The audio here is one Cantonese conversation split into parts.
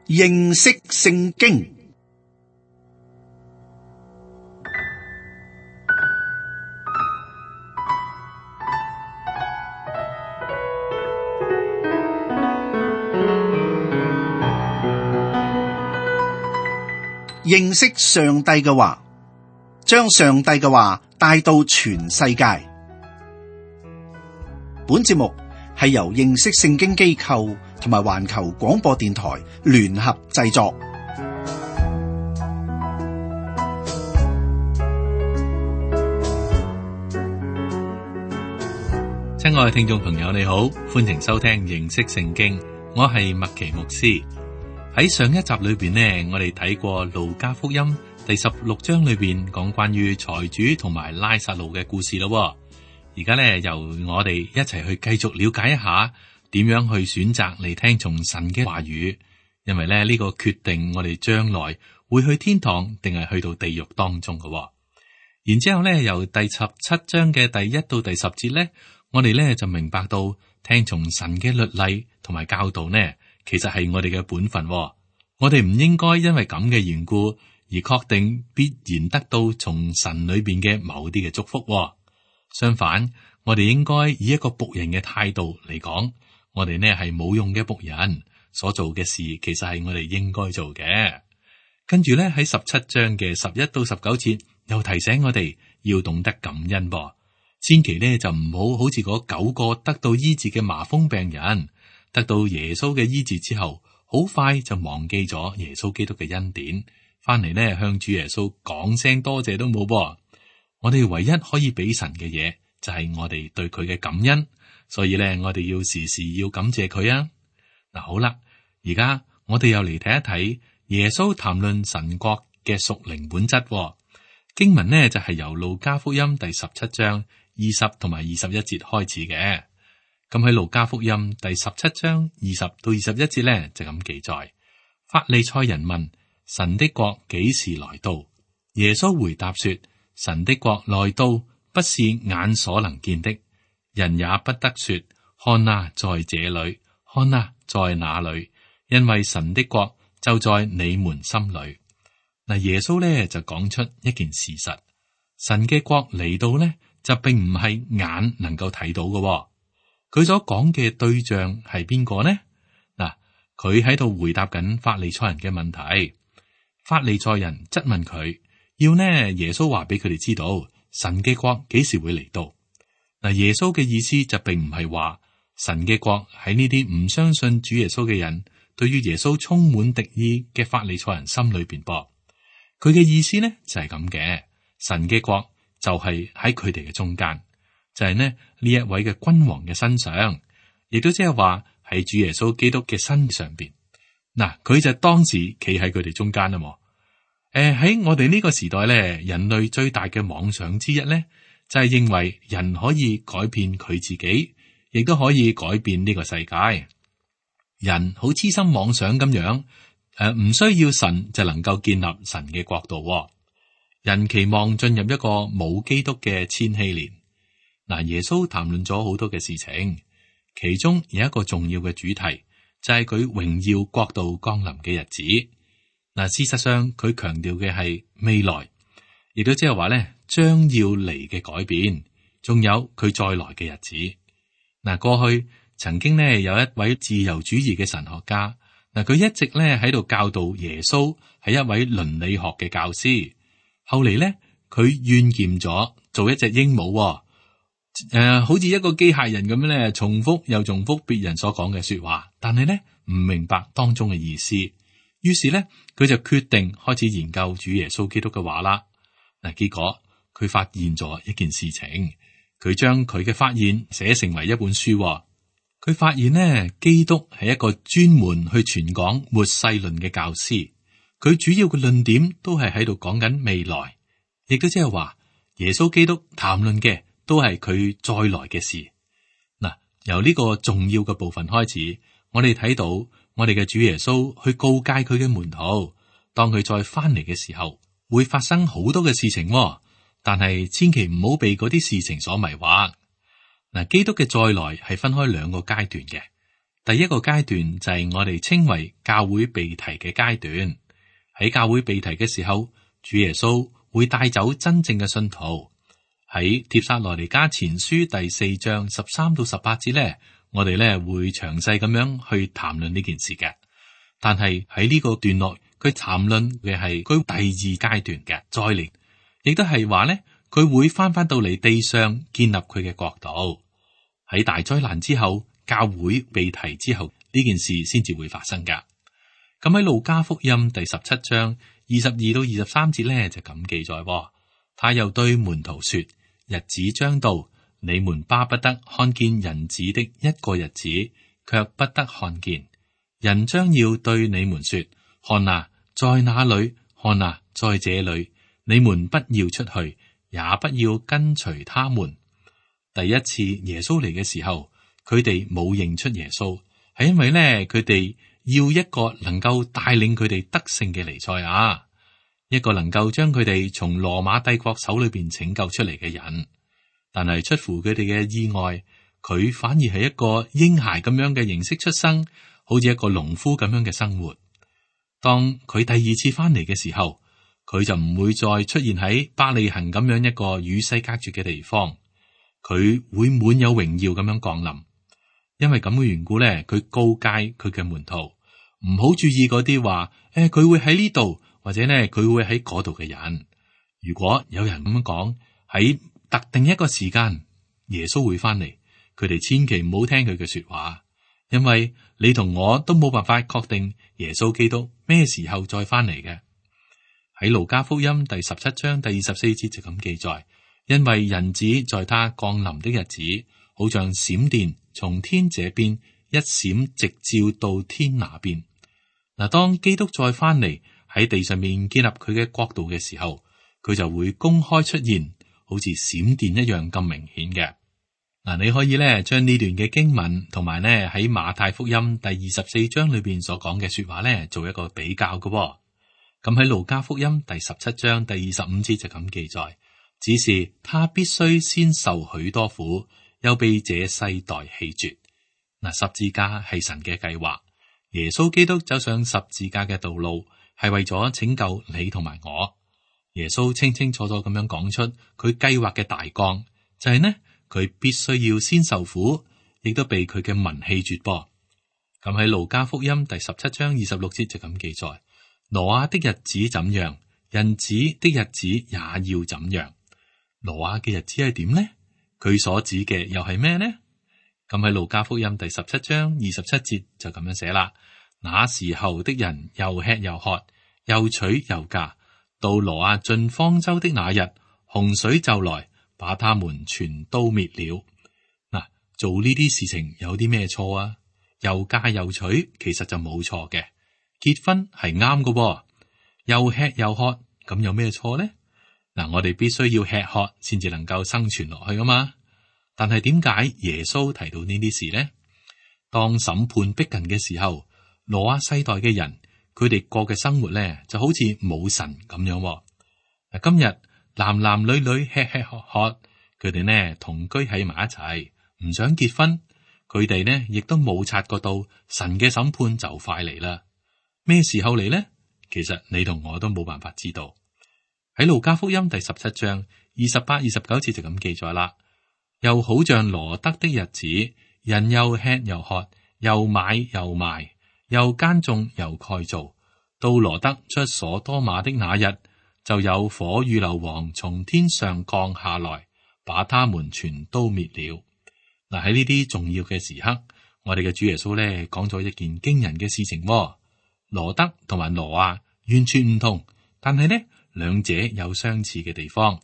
認識聖經。認識上帝嘅話，將上帝嘅話帶到全世界。本節目係由認識聖經機構同埋環球廣播電台聯合製作。親愛嘅聽眾朋友，你好，歡迎收聽認識聖經，我係麥奇牧師。喺上一集裏邊呢，我哋睇過路加福音第16章裏邊講關於財主同埋拉撒路嘅故事咯。而家呢，由我哋一齊去繼續了解一下點樣去選擇嚟聽從神嘅話語，因為呢個決定我哋將來會去天堂定係去到地獄當中嘅。然之後呢，由第17章嘅第1到第10節呢，我哋呢就明白到聽從神嘅律例同埋教導呢，其實係我哋嘅本分。我哋唔應該因為咁嘅緣故而確定必然得到從神裏邊嘅某啲嘅祝福。相反，我哋應該以一個僕人嘅態度嚟講，我哋呢係冇用嘅僕人，所做嘅事其實係我哋應該做嘅。跟住呢，喺17章嘅11到19節又提醒我哋要懂得感恩噃，千祈呢就唔好好似嗰9個得到醫治嘅麻風病人，得到耶穌嘅醫治之後，好快就忘記咗耶穌基督嘅恩典，翻嚟呢向主耶穌講聲多謝都冇噃。我哋唯一可以俾神嘅嘢就係我哋對佢嘅感恩，所以呢，我哋要時時要感謝佢啊。嗱，好啦，而家我哋又嚟睇一睇耶穌談論神國嘅屬靈本質。經文呢就係由路加福音第17章20同埋21節開始嘅。咁喺路加福音第17章20到21節呢就咁記載：法利賽人問神的國幾時來到？耶穌回答說：神的國來到，不是眼所能見的，人也不得說看啊，在這裏，看啊，在那裏，因為神的國就在你們心裏。嗱，耶穌呢就講出一件事實：神嘅國嚟到呢，就並唔係眼能夠睇到嘅。佢所講嘅對象係邊個呢？嗱，佢喺度回答緊法利賽人嘅問題。法利賽人質問佢，要呢耶穌話俾佢哋知道神嘅國幾時會嚟到。嗱，耶穌嘅意思就並唔係話神嘅國喺呢啲唔相信主耶穌嘅人，對於耶穌充滿敵意嘅法利賽人心裏邊噃。佢嘅意思呢就係咁嘅，神嘅國就係喺佢哋嘅中間。就係呢一位嘅君王嘅身上，亦都即係話喺主耶穌基督嘅身上邊。嗱，佢就當時企喺佢哋中間啦。喺我哋呢個時代咧，人類最大嘅妄想之一咧，就係認為人可以改變佢自己，亦都可以改變呢個世界。人好痴心妄想咁樣，唔需要神就能夠建立神嘅國度。人期望進入一個冇基督嘅千禧年。嗱，耶穌談論咗好多嘅事情，其中有一個重要嘅主題，就係佢榮耀國度降臨嘅日子。嗱，事實上佢強調嘅係未來，亦都即係話咧將要嚟嘅改變，仲有佢再來嘅日子。嗱，過去曾經呢有一位自由主義嘅神學家，嗱，佢一直咧喺度教導耶穌係一位倫理學嘅教師。後嚟咧佢怨厭咗做一隻鸚鵡。好似一個機械人咁樣咧，重複又重複別人所講嘅說話，但係咧唔明白當中嘅意思。於是咧，佢就決定開始研究主耶穌基督嘅話啦。嗱，結果佢發現咗一件事情，佢將佢嘅發現寫成為一本書。佢發現呢，基督係一個專門去傳講末世論嘅教師。佢主要嘅論點都係喺度講緊未來，亦都即係話耶穌基督談論嘅都係佢再來嘅事。嗱，由呢個重要嘅部分開始，我哋睇到我哋嘅主耶穌去告誡佢嘅門徒，當佢再翻嚟嘅時候，會發生好多嘅事情，但係千祈唔好被嗰啲事情所迷惑。嗱，基督嘅再來係分開兩個階段嘅。第一個階段就係我哋稱為教會被提嘅階段。喺教會被提嘅時候，主耶穌會帶走真正嘅信徒。喺帖撒羅尼迦前書第4章13到18節呢，我哋呢會詳細咁樣去談論呢件事嘅。但係喺呢個段落，佢談論嘅係佢第二階段嘅再嚟，亦都係話呢，佢會翻到嚟地上建立佢嘅國度。喺大災難之後，教會被提之後，呢件事先至會發生噶。咁喺路加福音第17章22到23節呢，就咁記載，他又對門徒說：日子將到，你們巴不得看見人子的一個日子，卻不得看見。人將要對你們說：看啊，在那裏；看啊，在這裏。你們不要出去，也不要跟隨他們。第一次耶穌嚟嘅時候，佢哋冇認出耶穌，係因為呢，佢哋要一個能夠帶領佢哋得勝嘅彌賽亞，一個能夠將佢哋從羅馬帝國手裏邊拯救出嚟嘅人。但係出乎佢哋嘅意外，佢反而係一個嬰孩咁樣嘅形式出生，好似一個農夫咁樣嘅生活。當佢第二次翻嚟嘅時候，佢就唔會再出現喺伯利恆咁樣一個與世隔絕嘅地方，佢會滿有榮耀咁樣降臨。因為咁嘅緣故咧，佢告誡佢嘅門徒唔好注意嗰啲話，佢會喺呢度或者咧佢會喺嗰度嘅人。如果有人咁樣講，喺特定一個時間耶穌會翻嚟，佢哋千祈唔好聽佢嘅說話，因為你同我都冇辦法確定耶穌基督咩時候再翻嚟嘅。喺路加福音第17章第24節就咁記載，因為人子在他降臨的日子，好像閃電從天這邊一閃，直照到天那邊。嗱，當基督再翻嚟喺地上面建立佢嘅國度嘅時候，佢就會公開出現，好似閃電一樣咁明顯嘅。嗱，你可以咧將呢段嘅經文同埋咧喺馬太福音第24章裏邊所講嘅說話咧做一個比較嘅。咁喺路加福音第17章第25節就咁記載，只是他必須先受許多苦，又被這世代棄絕。嗱，十字架係神嘅計劃，耶穌基督走上十字架嘅道路係為咗拯救你同埋我。耶穌清清楚楚咁樣講出佢計劃嘅大綱，就係呢，佢必須要先受苦，亦都被佢嘅民棄絕噃。咁喺路加福音第17章26節就咁記載，挪亞的日子怎樣，人子的日子也要怎樣。挪亞嘅日子係點呢？佢所指嘅又係咩呢？咁喺路加福音第17章27節就咁樣寫啦。那時候的人又吃又喝，又娶又嫁，到挪亞進方舟的那日，洪水就來，把他們全都滅了。嗱，做呢啲事情有啲咩錯啊？又嫁又娶，其實就冇錯嘅。結婚係啱嘅，又吃又喝，咁有咩錯呢？嗱，我哋必須要吃喝先至能夠生存落去噶嘛。但係點解耶穌提到呢啲事呢？當審判逼近嘅時候，挪亞世代嘅人，佢哋過嘅生活咧就好似冇神咁樣。嗱，今日男男女女吃吃喝喝，佢哋呢同居喺埋一齊，唔想結婚，佢哋呢亦都冇察覺到神嘅審判就快嚟啦。咩時候嚟呢？其實你同我都冇辦法知道。喺路加福音第17章28、29節就咁記載啦。又好像羅得的日子，人又吃又喝，又買又賣，又耕種又蓋造。到羅得出所多瑪的那日，就有火與硫磺從天上降下來，把他們全都滅了。嗱，喺呢啲重要嘅時刻，我哋嘅主耶穌咧講咗一件驚人嘅事情。羅得同埋挪亞完全唔同，但係呢兩者有相似嘅地方。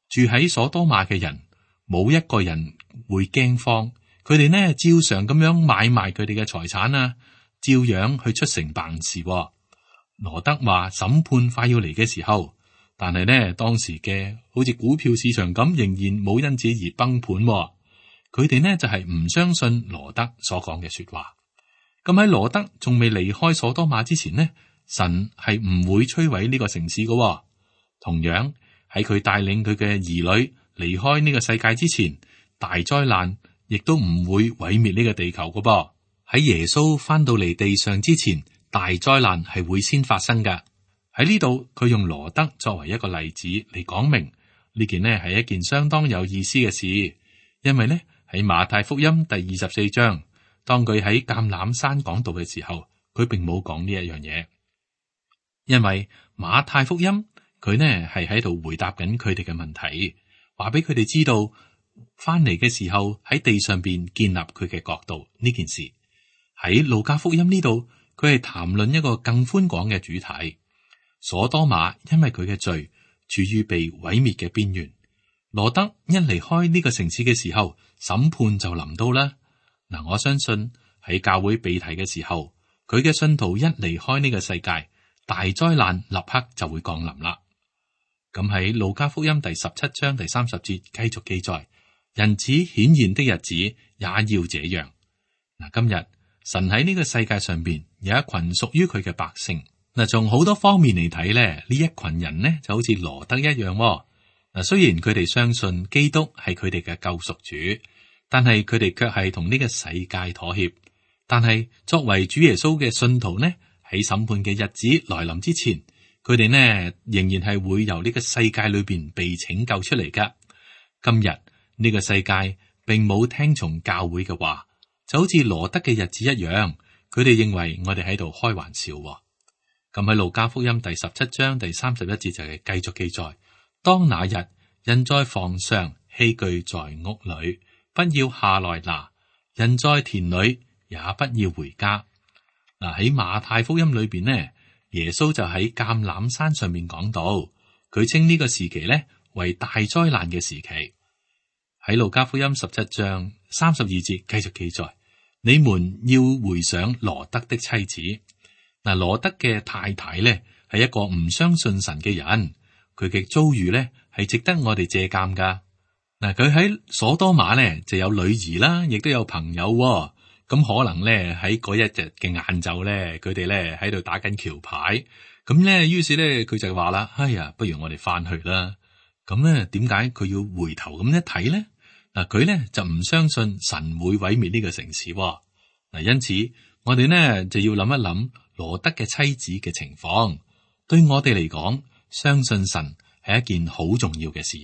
住喺所多瑪嘅人，冇一個人會驚慌，佢哋呢照常咁樣買賣佢哋嘅財產啊，照樣去出城辦事。羅得話審判快要嚟嘅時候，但係呢當時嘅好似股票市場咁，仍然冇因此而崩盤。佢哋呢就係唔相信羅得所講嘅說話。咁喺羅得仲未離開所多瑪之前呢，神係唔會摧毀呢個城市嘅。同樣喺佢帶領佢嘅兒女離開呢個世界之前，大災難亦都唔會毀滅呢個地球嘅噃，喺耶穌翻到嚟地上之前，大災難係會先發生噶。喺呢度佢用羅得作為一個例子嚟講明呢件呢係一件相當有意思嘅事，因為呢喺馬太福音第24章，當佢喺橄欖山講道嘅時候，佢並冇講呢一樣嘢，因為馬太福音佢呢係喺度回答緊佢哋嘅問題，話俾佢哋知道翻嚟嘅時候喺地上邊建立佢嘅國度呢件事。喺路加福音呢度，佢係談論一個更寬廣嘅主題。所多瑪因為佢嘅罪處於被毀滅嘅邊緣，羅得一離開呢個城市嘅時候，審判就臨到啦。嗱，我相信喺教會被提嘅時候，佢嘅信徒一離開呢個世界，大災難立刻就會降臨啦。咁喺路加福音第17章第30節繼續記載，人子顯現的日子也要這樣。嗱，今日神喺呢個世界上邊有一群屬於佢嘅百姓。嗱，從好多方面嚟睇咧，呢一群人呢就好似羅得一樣。嗱，雖然佢哋相信基督係佢哋嘅救贖主，但係佢哋卻係同呢個世界妥協。但係作為主耶穌嘅信徒呢，喺審判嘅日子來臨之前，佢哋呢仍然係會由呢個世界裏邊被拯救出嚟噶。今日呢個世界並冇聽從教會嘅話，就好似羅得嘅日子一樣，佢哋認為我哋喺度開玩笑。咁喺路加福音第17章第31節就係繼續記載，當那日人在房上，器具在屋裏，不要下來拿；人在田裏，也不要回家。嗱，喺馬太福音裏邊呢，耶穌就喺橄欖山上面講到，佢稱呢個時期呢為大災難嘅時期。喺路加福音17章32節繼續記載，你們要回想羅得的妻子。嗱，羅得嘅太太咧係一個唔相信神嘅人，佢嘅遭遇咧係值得我哋借鑒噶。嗱，佢喺所多瑪咧就有女兒啦，亦都有朋友。咁可能咧喺嗰一日嘅晏晝咧，佢哋咧喺度打緊橋牌。咁咧，於是咧佢就話啦：哎呀，不如我哋翻去啦。咁咧，點解佢要回頭咁一睇咧？嗱，佢咧就唔相信神會毀滅呢個城市。嗱，因此我哋呢就要諗一諗羅得嘅妻子嘅情況。對我哋嚟講，相信神係一件好重要嘅事。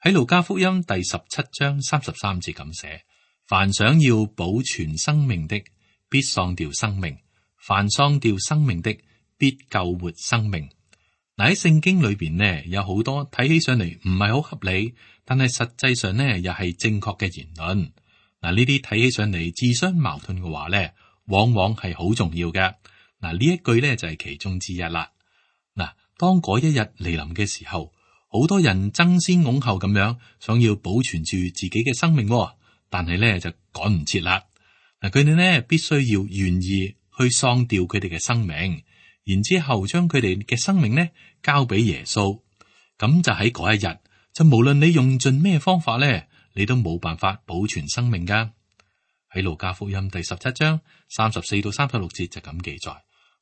喺路加福音第17章33節咁寫：凡想要保存生命的，必喪掉生命；凡喪掉生命的，必救活生命。嗱，喺聖經裏邊呢，有好多睇起上嚟唔係好合理，但係實際上呢又係正確嘅言論。嗱，呢啲睇起上嚟自相矛盾嘅話呢，往往係好重要嘅。嗱，呢一句呢就係其中之一啦。嗱，當嗰一日嚟臨嘅時候，好多人爭先恐後咁樣想要保存住自己嘅生命，但係呢就趕唔切啦。嗱，佢哋呢必須要願意去喪掉佢哋嘅生命，然之後將佢哋嘅生命呢交俾耶穌。咁就喺嗰一日，就無論你用盡咩方法呢，你都冇辦法保存生命噶。喺路加福音第17章34到36節就咁記載：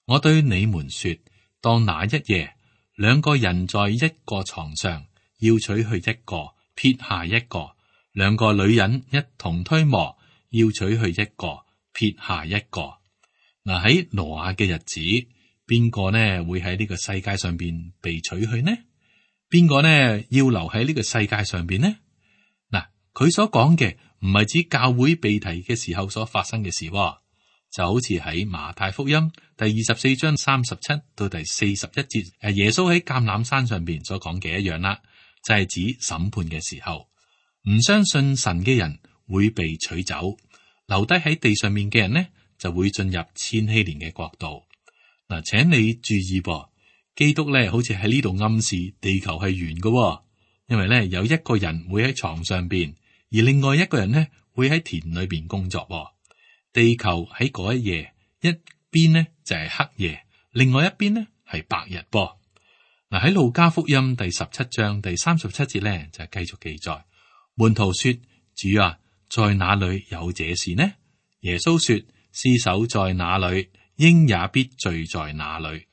我對你們說，當那一夜，兩個人在一個床上，要取去一個，撇下一個；兩個女人一同推磨，要取去一個，撇下一個。嗱，喺挪亞嘅日子，邊個呢會喺呢個世界上邊被取去呢？邊個呢要留喺呢個世界上邊呢？嗱，佢所講嘅唔係指教會被提嘅時候所發生嘅事，就好似喺馬太福音第24章37到第41節，耶穌喺橄欖山上邊所講嘅一樣啦，就係指審判嘅時候，唔相信神嘅人會被取走，留低喺地上面嘅人呢就會進入千禧年嘅國度。嗱，請你注意噃，基督咧好似喺呢度暗示地球係圓嘅，因為咧有一個人會喺床上邊，而另外一個人呢會喺田裏邊工作。地球喺嗰一夜，一邊呢就係黑夜，另外一邊呢係白日噃。嗱，喺路加福音第17章第37節咧就繼續記載，門徒說：主啊，在哪裏有這事呢？耶穌說：屍首在哪裏，鷹也必聚在哪裏。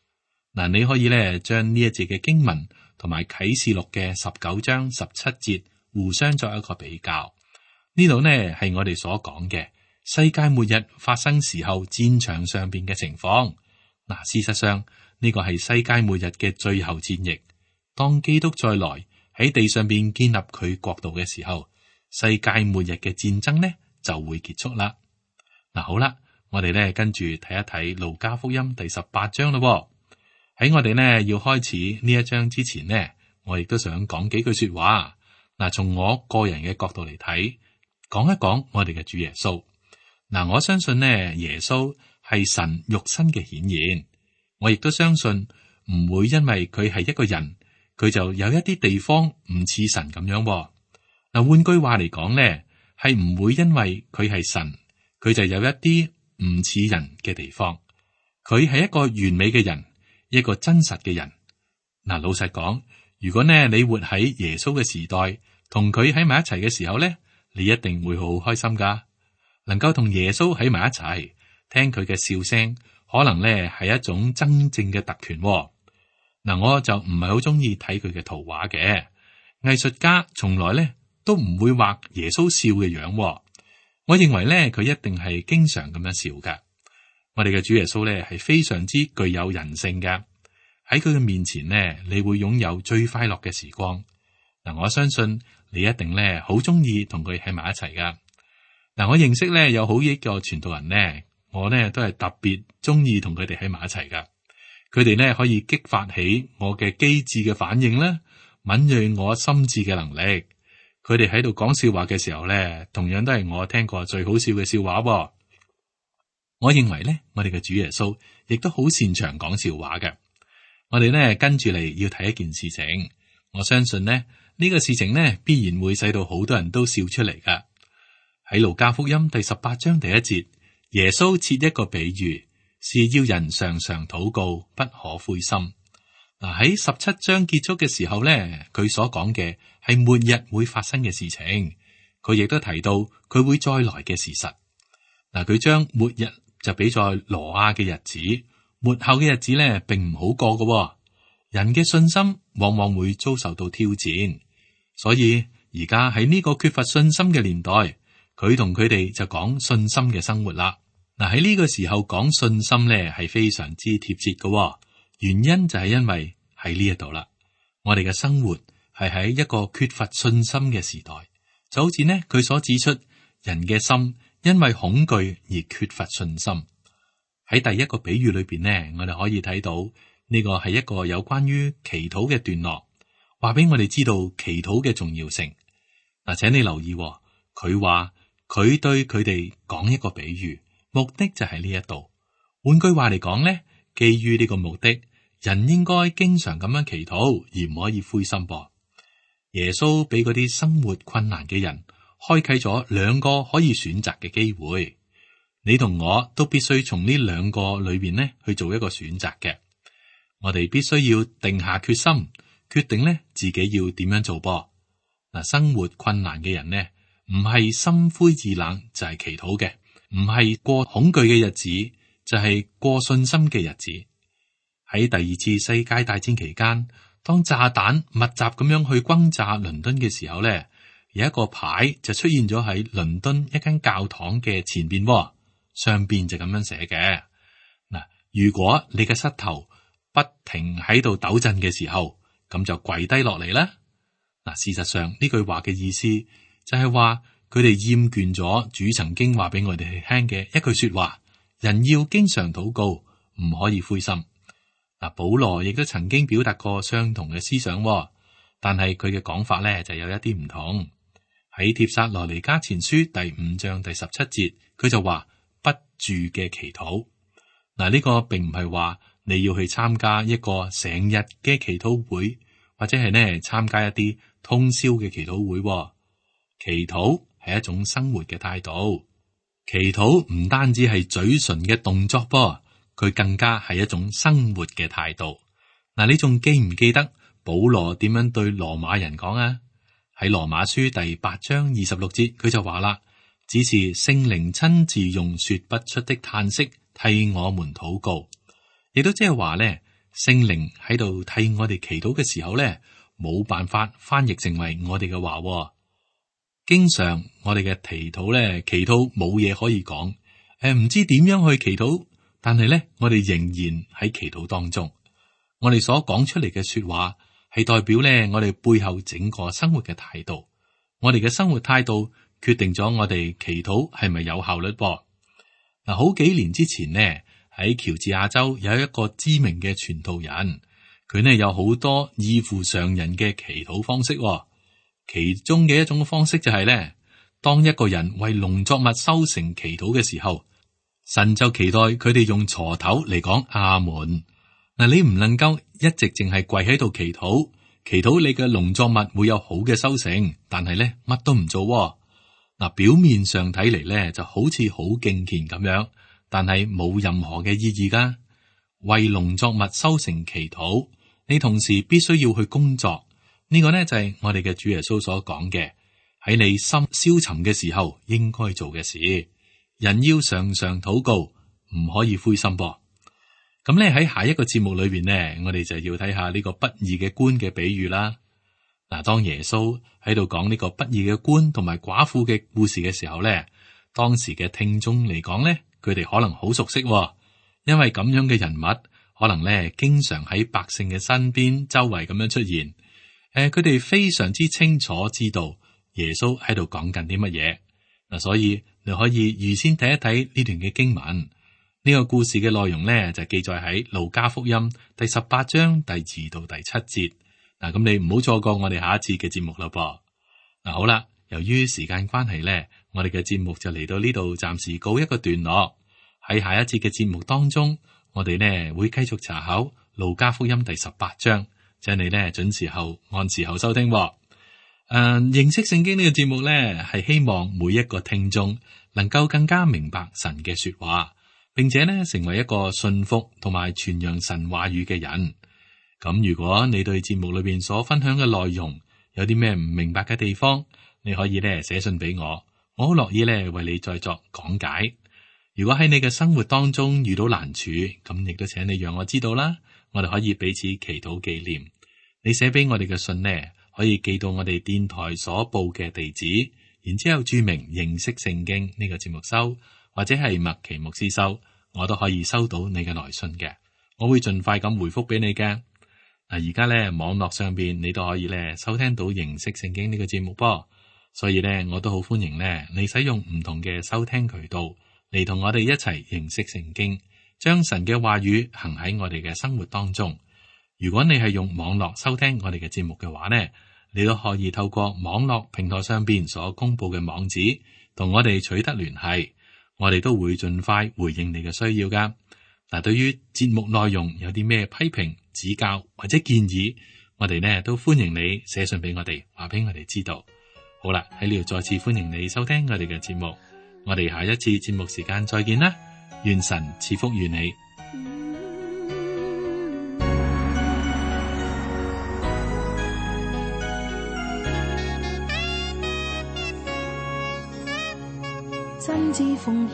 嗱，你可以咧將呢一節嘅經文同埋啟示錄嘅19章17節互相作一個比較。呢度呢係我哋所講嘅世界末日發生時候戰場上邊嘅情況。嗱，事實上呢個係世界末日嘅最後戰役。當基督再來喺地上邊建立佢國度嘅時候，世界末日嘅戰爭呢就會結束啦。嗱，好啦，我哋呢跟住睇一睇路加福音第18章咯。喺我哋呢要開始呢一章之前呢，我亦都想講幾句說話。嗱，從我個人嘅角度嚟睇，講一講我哋嘅主耶穌。嗱，我相信呢，耶穌係神肉身嘅顯現。我亦都相信唔會因為佢係一個人，佢就有一啲地方唔似神咁樣。嗱，換句話嚟講呢，係唔會因為佢係神，佢就有一啲唔似人嘅地方。佢係一個完美嘅人，一個真實嘅人。嗱，老實講，如果呢你活喺耶穌嘅時代，同佢喺埋一齊嘅時候呢，你一定會好開心噶。能夠同耶穌喺埋一齊，聽佢嘅笑聲，可能呢係一種真正嘅特權。嗱，我就唔係好中意睇佢嘅圖畫嘅。藝術家從來呢都唔會畫耶穌笑嘅樣。我認為呢佢一定係經常咁樣笑噶。我哋嘅主耶穌呢係非常之具有人性嘅。喺佢嘅面前呢，你會擁有最快樂嘅時光。嗱，我相信你一定呢好中意同佢喺埋一齊噶。嗱，我認識呢有好幾個傳道人呢，我呢都係特別中意同佢哋喺埋一齊噶。佢哋呢可以激發起我嘅機智嘅反應啦，敏銳我心智嘅能力。佢哋喺度講笑話嘅時候呢，同樣都係我聽過最好笑嘅笑話。我認為呢，我哋嘅主耶穌亦都好擅長講笑話嘅。我哋呢跟住嚟要睇一件事情，我相信呢個事情呢必然會使到好多人都笑出嚟噶。喺路加福音第18章第1節，耶穌設一個比喻，是要人常常禱告，不可灰心。嗱，喺17章結束嘅時候呢，佢所講嘅係末日會發生嘅事情，佢亦都提到佢會再來嘅事實。嗱，佢將末日就比在挪亞嘅日子，末後嘅日子呢並唔好過嘅。人嘅信心往往會遭受到挑戰，所以而家喺呢個缺乏信心嘅年代，佢同佢哋就講信心嘅生活啦。嗱，喺呢個時候講信心呢係非常之貼切嘅，原因就係因為喺呢一度啦，我哋嘅生活係喺一個缺乏信心嘅時代，就好似呢佢所指出，人嘅心因為恐懼而缺乏信心。喺第一個比喻裏邊呢，我哋可以睇到呢個係一個有關於祈禱嘅段落，話俾我哋知道祈禱嘅重要性。嗱，請你留意，佢話佢對佢哋講一個比喻，目的就係呢一度。換句話嚟講呢，基於呢個目的，人應該經常咁樣祈禱，而唔可以灰心噃。耶穌俾嗰啲生活困難嘅人開啟咗2個可以選擇嘅機會，你同我都必須從呢2個裏邊呢去做一個選擇嘅。我哋必須要定下決心，決定呢自己要點樣做噃。嗱，生活困難嘅人呢，唔係心灰意冷就係祈禱嘅，唔係過恐懼嘅日子就係過信心嘅日子。喺第2次世界大戰期間，當炸彈密集咁樣去轟炸倫敦嘅時候呢，有一個牌就出現咗喺倫敦一間教堂嘅前邊，上邊就咁樣寫嘅。嗱，如果你嘅膝頭不停喺度抖震嘅時候，咁就跪低落嚟啦。嗱，事實上呢句話嘅意思就係話，佢哋厭倦咗主曾經話俾我哋聽嘅一句說話：人要經常禱告，唔可以灰心。嗱，保羅亦都曾經表達過相同嘅思想，但係佢嘅講法咧就有一啲唔同。喺帖撒羅尼迦前書第5章第17節，佢就話不住嘅祈禱。嗱，呢個並唔係話你要去參加一個成日嘅祈禱會，或者係呢參加一啲通宵嘅祈禱會。祈禱係一種生活嘅態度，祈禱唔單止係嘴唇嘅動作噃，佢更加係一種生活嘅態度。嗱，你仲記唔記得保羅點樣對羅馬人講啊？喺羅馬書第8章26節，佢就話啦，只是聖靈親自用說不出的嘆息替我們禱告，亦都即係話咧，聖靈喺度替我哋祈禱嘅時候咧，冇辦法翻譯成為我哋嘅話。經常我哋嘅祈禱咧，祈禱冇嘢可以講，唔知點樣去祈禱，但係咧，我哋仍然喺祈禱當中。我哋所講出嚟嘅說話係代表咧，我哋背後整個生活嘅態度。我哋嘅生活態度決定咗我哋祈禱係咪有效率噃。嗱，好幾年之前呢，喺喬治亞州有一個知名嘅傳道人，佢呢有好多異乎常人嘅祈禱方式。其中嘅一種方式就係咧，當一個人為農作物收成祈禱嘅時候，神就期待佢哋用鋤頭嚟講阿門。嗱，你唔能夠一直淨係跪喺度祈禱你嘅農作物會有好嘅收成，但係咧乜都唔做。嗱，表面上睇嚟咧就好似好敬虔咁樣，但係冇任何嘅意義噶。為農作物收成祈禱，你同時必須要去工作。呢個呢，就係我哋嘅主耶穌所講嘅，喺你心消沉嘅時候應該做嘅事。人要常常禱告，唔可以灰心噃。咁咧喺下一個節目裏邊呢，我哋就要睇下呢個不義嘅官嘅比喻啦。嗱，當耶穌喺度講呢個不義嘅官同埋寡婦嘅故事嘅時候咧，當時嘅聽眾嚟講咧，佢哋可能好熟悉，因為咁樣嘅人物可能咧經常喺百姓嘅身邊周圍咁樣出現。佢哋非常之清楚知道耶穌喺度講緊啲乜嘢。嗱，所以你可以預先睇一睇呢段嘅經文。呢個故事嘅內容咧就記載喺路加福音第18章第2到第7節。嗱，咁你唔好錯過我哋下一次嘅節目啦噃。嗱，好啦，由於時間關係咧，我哋嘅節目就嚟到呢度，暫時告一個段落。喺下一次嘅節目當中，我哋呢會繼續查考路加福音第18章。請你咧準時候按時候收聽。認識聖經呢個節目咧，係希望每一個聽眾能夠更加明白神嘅說話，並且咧成為一個信服同埋傳揚神話語嘅人。咁如果你對節目裏邊所分享嘅內容有啲咩唔明白嘅地方，你可以咧寫信俾我，我好樂意咧為你再作講解。如果喺你嘅生活當中遇到難處，咁亦都請你讓我知道啦，我哋可以彼此祈禱紀念。你寫俾我哋嘅信呢，可以寄到我哋電台所報嘅地址，然之後注明認識聖經呢個節目收，或者係麥奇牧師收，我都可以收到你嘅來信嘅，我會盡快咁回覆俾你嘅。嗱，而家咧網絡上邊你都可以咧收聽到認識聖經呢個節目噃，所以咧我都好歡迎咧你使用唔同嘅收聽渠道嚟同我哋一齊認識聖經，將神嘅話語行喺我哋嘅生活當中。如果你係用網絡收聽我哋嘅節目嘅話呢，你都可以透過網絡平台上邊所公布嘅網址同我哋取得聯繫，我哋都會盡快回應你嘅需要噶。嗱，對於節目內容有啲咩批評、指教或者建議，我哋呢都歡迎你寫信俾我哋，話俾我哋知道。好啦，喺呢度再次歡迎你收聽我哋嘅節目，我哋下一次節目時間再見啦，願神賜福於你。真摯奉獻，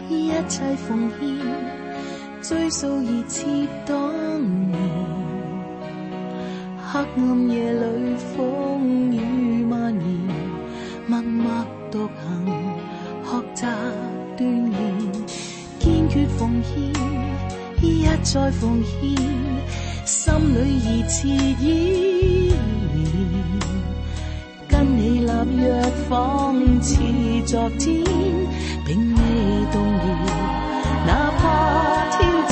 一切奉獻，追溯熱切當年。黑暗夜裏風雨蔓延，默默獨行，學習鍛鍊，堅決奉獻，一再奉獻，心裏熱切依然。跟你立約仿似昨天，並未動搖，哪怕挑戰，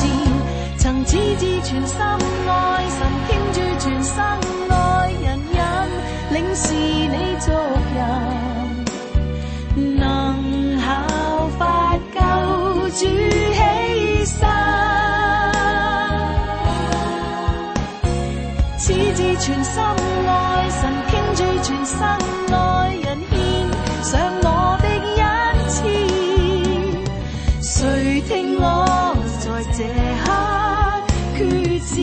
曾矢志全心愛神，傾注全心愛人人，領事你族人，能效法救主犧牲，矢志全心愛神，傾注全心愛人，獻上我的恩賜，誰聽我在這刻決志。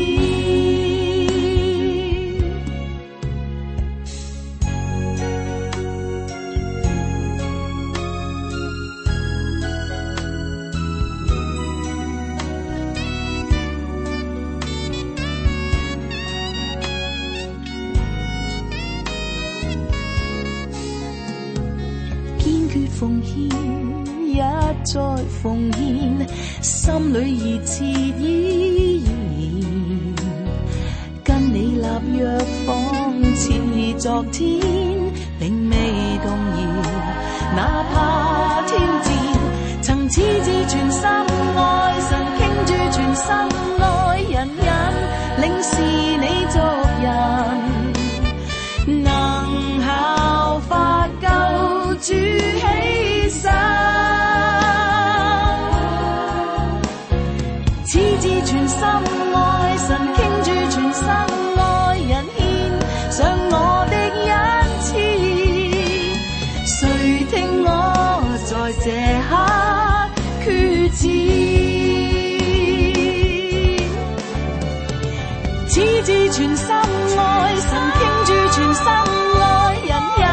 奉獻，一再奉獻，心裏熱切依然，跟你立約仿似昨天，並未動搖，哪怕挑戰，曾矢志全心愛神，傾注全心愛人人，領事你作人，能效法救主犧牲，矢志全心愛神，傾注全心愛人，獻上我的恩賜，誰聽我在這刻決志，矢志全心愛神，傾注全心愛人人，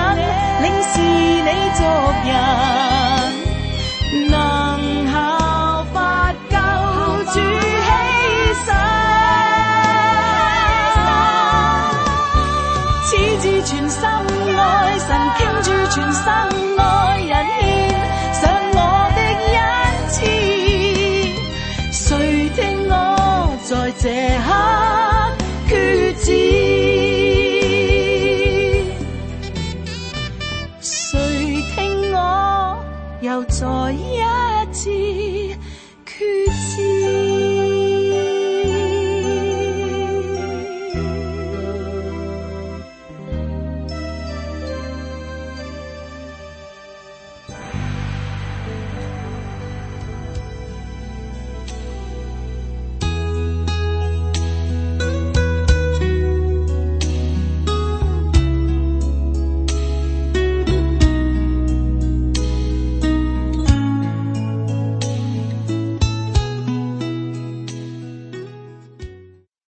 領事你作人，能效法救主犧牲，矢志全心愛神，傾注全心愛人，獻上我的恩賜，誰聽我在這刻